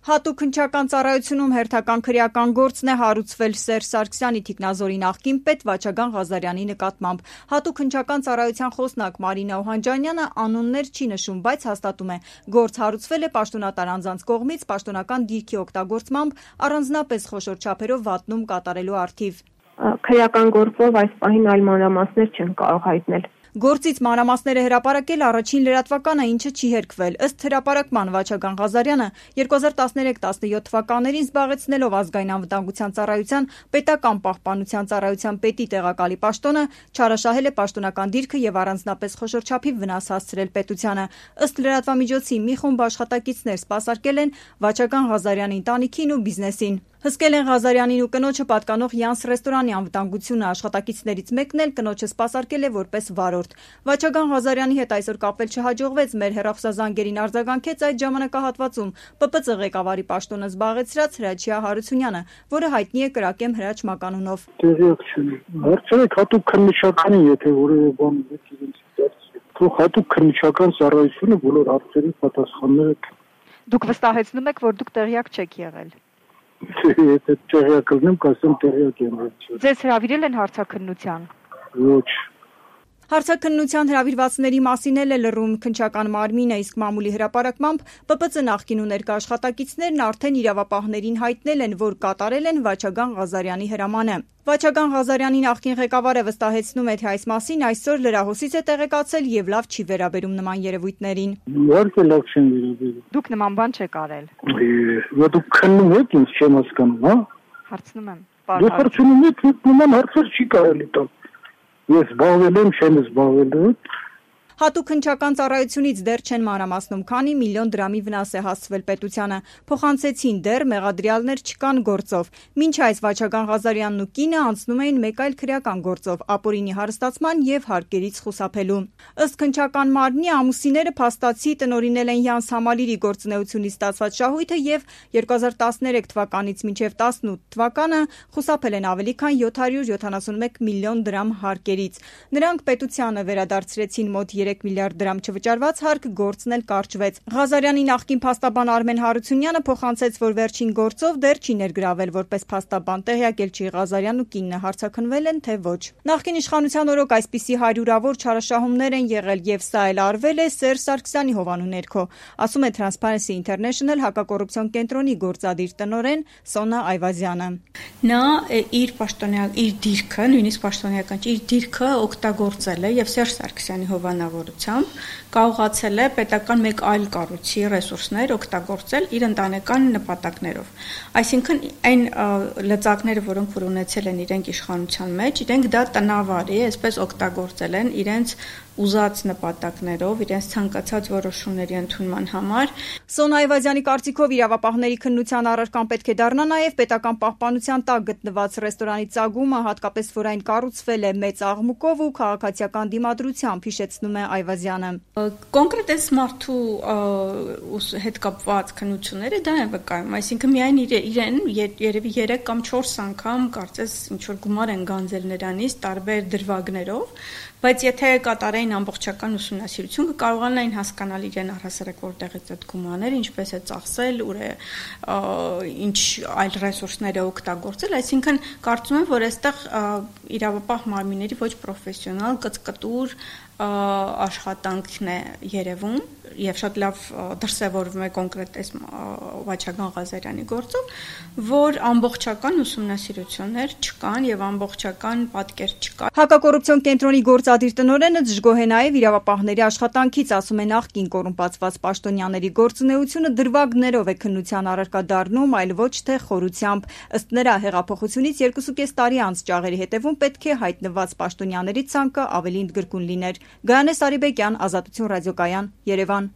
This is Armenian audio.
Հատուկ քննչական ծառայությունում հերթական քրեական գործն է հարուցվել Սերժ Սարգսյանի թիկնազորի նախկին պետ Վաչագան Ղազարյանի նկատմամբ։ Հատուկ քննչական ծառայության խոսնակ Մարինա Օհանջանյանը անուններ չի նշում, բայց հաստատում է, գործ հարուցվել է պաշտոնատար անձանց կողմից պաշտոնական դիրքի օգտագործմամբ առանձնապես խոշոր չափերով վատնում կատարելու առթիվ։ Քրեական գործով այս պահին այլ մանրամասներ չեն կարող հայտնել։ Գործից մանրամասները հրապարակել առաջին լրատվականը, ինչը չի հերքվել։ Ըստ հրապարակման Վաչագան Ղազարյանը 2013-17 թվականներին զբաղեցնելով ազգային անվտանգության ծառայության պետական պահպանության ծառայության պետի տեղակալի պաշտոնը չարաշահել է պաշտոնական դիրքը եւ առանձնապես խոշոր չափի վնաս հասցրել պետությանը։ Ըստ լրատվամիջոցի մի խումբ աշխատակիցներ սպասարկել են Վաչագան Ղազարյանի ընտանիքին ու բիզնեսին։ Հսկել են Ղազարյանին ու կնոջը պատկանող Յանս ռեստորանի անվտանգությունը, աշխատակիցներից մեկն էլ կնոջը սպասարկել է որպես վարորդ։ Վաչագան Ղազարյանի հետ այսօր կապել չհաջողվեց, մեր հեռախոսազանգերին արձագանքեց այդ ժամանակահատվածում ՊՊԾ ղեկավարի պաշտոնը զբաղեցրած Հրաչյա Հարությունյանը, որը հայտնի է Կրակեմ Հրաչ մականունով։ Տեղյակ չեմ։ Հարցրեք հատուկ քննչականին, եթե որևէ բան իրենց դարձի։ Թող հատուկ քննչական ծառայությունը բոլոր հարցերին պատասխանները։ Դուք վստահեցնում եք, որ դուք տեղյակ չեք եղել։ Եթե տեղյակ լինեմ, կասեմ տեղյակ եմ։ Ձեզ հրավիրել են հարցաքննության։ Ոչ։ Հարցաքննության հրավիրվածների մասին էլ է լռում քննչական մարմինը, իսկ մամուլի հրապարակմամբ ՊՊԾ նախկին ու ներկա աշխատակիցներն արդեն իրավապահներին հայտնել են, որ կատարել են Վաչագան Ղազարյանի հրամանը։ Վաչագան Ղազարյանի նախկին ղեկավարը վստահեցնում է, թե այս մասին այսօր լրահոսից է տեղեկացել եւ լավ չի վերաբերում նման երևույթներին։ Իհարկե լավ չեն վերաբերում։ Դուք նման բան չեք արել։ Դուք քննում եք, ինձ չեմ հասկանում, հա։ Հարցնում եմ։ Դուք հարցնում եք, նման հարցեր չի կարելի տալ։ Ես զբաղվել եմ, չեմ զբաղվել։ Հատուկ քննչական ծառայությունից դեռ չեն մանրամասնում, քանի միլիոն դրամի վնաս է հասցվել պետությանը։ Փոխանցեցին դեռ մեղադրյալներ չկան գործով։ Մինչ այս Վաչագան Ղազարյանն ու կինը անցնում էին մեկ այլ քրեական գործով՝ ապօրինի հարստացման եւ հարկերից խուսափելու։ Ըստ քննչական մարմնի ամուսինները փաստացի տնօրինել են Յանս Համալիրի գործունեությունից ստացված շահույթը եւ 2013 թվականից մինչեւ 18 թվականը խուսափել են ավելի քան 771 միլիոն դրամ հարկերից։ Նրանք պետությանը վերադարձրեցին մոտ 3 միլիարդ դրամ չվճարված հարկ, գործն էլ կարճվեց։ Ղազարյանի նախկին փաստաբան Արմեն Հարությունյանը փոխանցեց, որ վերջին գործով դեռ չի ներգրավել որպես փաստաբան, տեղյակել չի Ղազարյանն ու կինը հարցաքննվել են, թե ոչ։ Նախկին իշխանության օրոք այսպիսի հարյուրավոր չարաշահումներ են եղել եւ սա էլ արվել է Սերժ Սարգսյանի հովանու ներքո, ասում է Transparency International հակակոռուպցիոն կենտրոնի գործադիր տնօրեն Սոնա Այվազյանը։ Նա իր դիրքը, նույնիսկ պաշտոնեական իր դիրքը օգտագործել է եւ Սերժ Սարգսյանի հովանավորությամբ կարողացել է պետական մեկ այլ կառույցի ռեսուրսներ օգտագործել իր ընտանեկան նպատակներով։ Այսինքն այն լծակները, որոնք որ ունեցել են իրենք իշխանության մեջ, իրենք դա տնավարի, այսպես օգտագործել են իրենց ուզած նպատակներով, իրենց ցանկացած որոշումների ընդունման համար։ Սոնա Այվազյանի կարծիքով իրավապահների քննության առարկան պետք է դառնա նաև պետական պահպանության տակ գտնված ռեստորանի ծագումը, հատկապես որ այն կառուցվել է մեծ աղմուկով ու քաղաքացիական դիմադրությամբ, հիշեցնում է Այվազյանը։ Կոնկրետ այս մարդու հետ կապված քննությունները դա են վկայում, այսինքն միայն իրեն երևի 3 կամ 4 անգամ կարծես ինչ որ գումար են գանձել նրանից տարբեր դրվագներով, բայց եթե կատարեին ամբողջական ուսումնասիրություն կկարողանային հասկանալ իրեն առհասարակ որտեղից այդ գումարները, ինչպես է ծախսել, ուր է ինչ այլ ռեսուրսներ է օգտագործել, այսինքն կարծում եմ, որ այստեղ իրավապահ մարմինների ոչ պրոֆեսիոնալ կծկտուր աշխատանքն է երևում եւ շատ լավ դրսեւորվում է կոնկրետ այս Վաչագան Ղազարյանի գործով, որ ամբողջական ուսումնասիրություններ չկան եւ ամբողջական պատկեր չկա։ Հակակոռուպցիոն կենտրոնի գործադիր տնօրենը դժգոհ է նաեւ իրավապահների աշխատանքից, ասում է նախկին կոռումպացված պաշտոնյաների գործունեությունը դրվագներով է քննության առարկա դառնում, այլ ոչ թե խորությամբ։ Ըստ նրա հեղափոխությունից 2.5 տարի անց ճաղերի հետևում պետք է հայտնված պաշտոնյաների ցանկը ավելի ընդգրկուն լիներ։ Գայանե Սարիբեկյան, Ազատություն ռադիոկայան, Երևան։